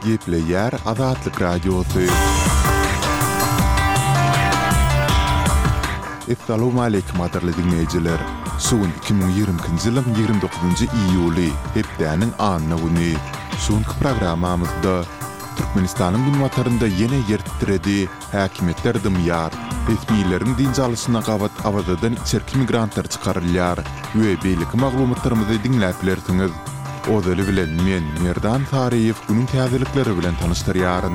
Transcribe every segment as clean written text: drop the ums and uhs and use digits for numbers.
Gepleýär Azatlyk Radiosy. Essalawmaleýkim gadyrly diňleýjiler! Şu gün 2022-nji ýylyň 29-njy iýuly, hepdäniň anna güni. Şu günki programmamyzda Türkmenistanyň günbatarynda ýene ýer titredi, häkimiýetler dymýar, resmileriň dynç alyşyna gabat Awazadan içerki migrantlar çykarylýar we beýleki maglumatlarymyzy diňläp bilersiňiz. Ozaly bilen men, Merdan Saryýew günüň täzelikleri bilen tanyşdyrýaryn.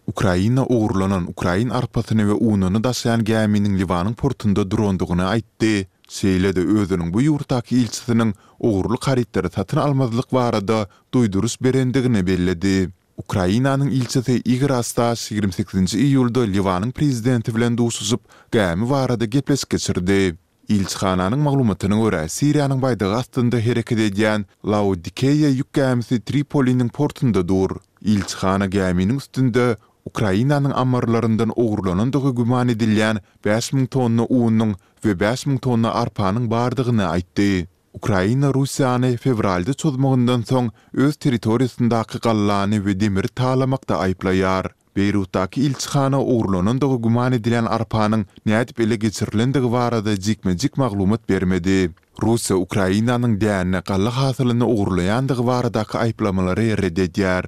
Ukraina ogurlanan ukrain arpasyny we ununy daşaýan gäminiň Liwanyň portunda durandygyny aýtdy, şeýle-de özüniň bu ýurtdaky ilçisiniň ogurlyk harytlary satyn almazlyk barada duýduryş berendigini belledi. Ukrainanyň ilçisi Igor Astaş 28-nji iýulda Liwanyň prezidenti bilen duşuşyp, gämi barada gepleşik geçirdi. Ilçihananyň maglumatyna görä, Siriýanyň baýdagy astynda hereket edýän Laodikeýa ýük gämisi Tripoliniň portunda dur. Ilçihana gäminiň üstünde Ukrainanyň ammarlaryndan ogurlanandygy güman edilýän 5000 tonna unuň we 5000 tonna arpanyň bardygyny aýtdy. Ukraina Russiýany fewralda çozmagyndan soň öz territoriýasyndaky gallany we demiri talamakda aýyplaýar. Beýrutdaky ilçihana ogurlanandygy güman edilýän arpanyň nädip ele geçirilendigi barada jikme-jik maglumat bermedi. Russiýa Ukrainanyň däne, galla hasylyny ogurlaýandygy baradaky aýyplamalary ret edýär.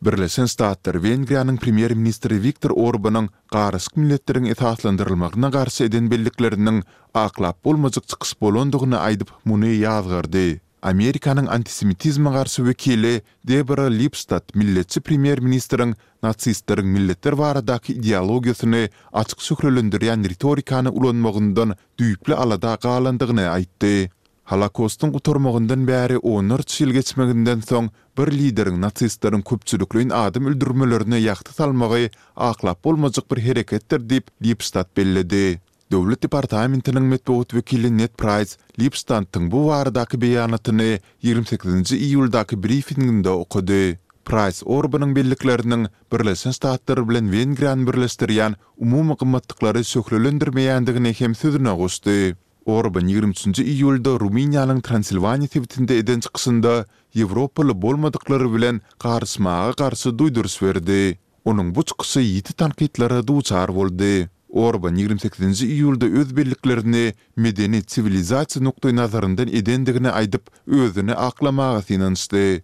Birleşen Ştatlar Wengriýanyň premýer-ministri Wiktor Orbanyň garyşyk milletleriň esaslandyrylmagyna garşy eden bellikleriniň aklap bolmajak çykyş bolandygyny aýdyp, muny ýazgardy. Amerikanyň antisemitizme garşy wekili Debora Lipstadt milletçi premýer-ministriň nasistleriň milletler baradaky ideologiýasyny açyk şöhlelendirýän ritorikany ulanmagyndan düýpli alada galandygyny aýtdy. Holokostyň gutarmagyndan bäri onlarça ýyl geçmeginden soň bir lideriň nasistleriň köpçülikleýin adam öldürmelerine ýagty salmagy aklap bolmajak bir hereketdir diýip, Lipstadt belledi. Döwlet departamentiniň metbugat wekili Ned Praýs Lipstadtyň bu baradaky beýanatyny 28-nji iýuldaky brifinginde okady. Praýs Orbanyň bellikleriniň Birleşen Ştatlar bilen Wengriýany birleşdirýän umumy gymmatlyklary şöhlelendirmeýändigini hem sözüne goşdy. Orban 23-nji iýulda Rumyniýanyň Transilwaniýa sebitinde eden çykyşynda ýewropaly bolmadyklar bilen garyşmaga garşy duýduryş berdi. Onuň bu çykyşy ýiti tankytlara duçar boldy. Orban 28-nji iýulda öz belliklerini medeni-siwilizasiýa nukdaýnazaryndan edendigini aýdyp, özüni aklamaga synanyşdy.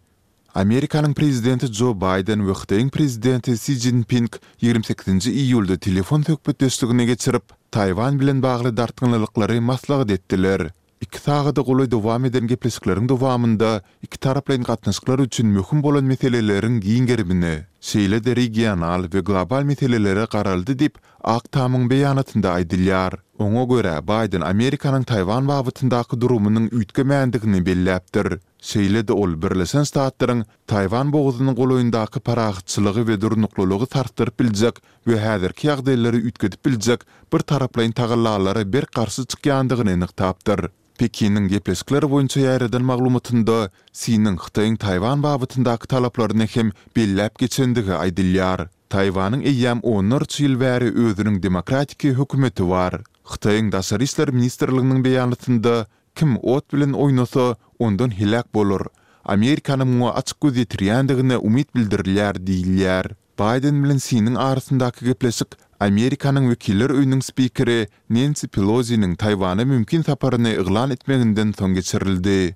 Amerikanyň prezidenti Jo Baýden we Hytaýyň prezidenti Si Szinping 28-nji iýulda telefon söhbetdeşligini geçirip, Taýwan bilen bagly dartgynlylyklary maslahat etdiler. Iki sagada golaý dowam eden gepleşikleriň dowamynda ikitaraplaýyn gatnaşyklar üçin möhüm bolan meseleleriň giň gerimine, şeýle-de regional we global meselelere garaldy diýip, Ak tamyň beýanatynda aýdylýar. Oňa görä, Baýden Amerikanyň Taýwan babatyndaky durumynyň üýtgemändigini belläpdir. Şeýle-de ol Birleşen Ştatlaryň Taýwan bogazynyň golaýyndaky parahatçylygy we durnuklylygy sarsdyryp biljek we häzirki ýagdaýlary üýtgedip biljek bir taraplaýyn tagallalara berk garşy çykýandygyny nygtapdyr. Pekiniň gepleşikler boýunça ýaýradan maglumatynda Siniň Hytaýyň Taýwan babatyndaky talaplaryny hem belläp geçendigi aýdylýar. Taýwanyň eýýäm onlarça ýyl bäri özüniň demokratiki hökümeti bar. Hytaýyň Daşary işler ministrliginiň beýanatynda Kim ot bilen oýnasa, ondan heläk bolar. Amerikanyň muňa açyk göz ýetirýändigine umyt bildirilýär diýilýär. Baýden bilen Siniň arasyndaky gepleşik Amerikanyň Wekiller öýüniň spikeri Nensi Peloziniň Taýwana mümkin saparyny yglan etmeginden soň geçirildi.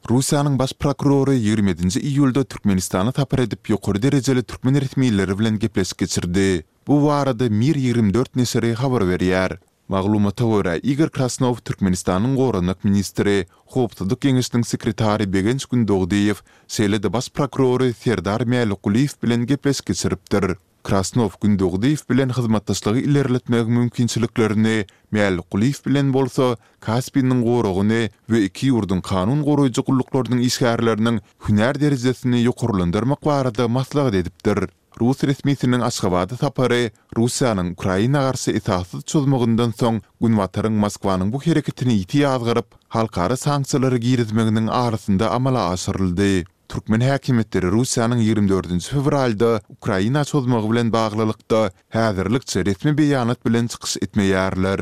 Russiýanyň Baş prokurory 27-nji iýulda Türkmenistana sapar edip ýokary derejeli türkmen resmileri bilen gepleşik geçirdi. Bu barada Mir 24 neşiri habar berýär. Maglumata görä, Igor Krasnow Türkmenistanyň goranmak ministri, Howpsuzlyk geňeşiniň sekretary Begenç Gündogdyýew, şeýle-de baş prokurory Serdar Mälikgulyýew bilen gepleşik geçiripdir. Krasnow Gündogdyýew bilen hyzmatdaşlygy ilerletmegiň mümkinçiliklerini, Mälikgulyýew bilen bolsa Kaspiniň goragyny we iki ýurduň kanun goraýjy gulluklarynyň işgärleriniň hünär derejesini ýokarlandyrmak barada maslahat edipdir. Rus resmisiniň Aşgabada sapary Russiýanyň Ukraina garşy esassyz çozmagyndan soň Günbataryň Moskwanyň bu hereketini ýiti ýazgaryp, halkara sanksiýalary girizmeginiň arasynda amala aşyryldy. Türkmen häkimiýetleri Russiýanyň 24-nji fewralda Ukraina çozmagy bilen baglylykda häzirlikçe resmi beýanat bilen çykyş etmeýärler.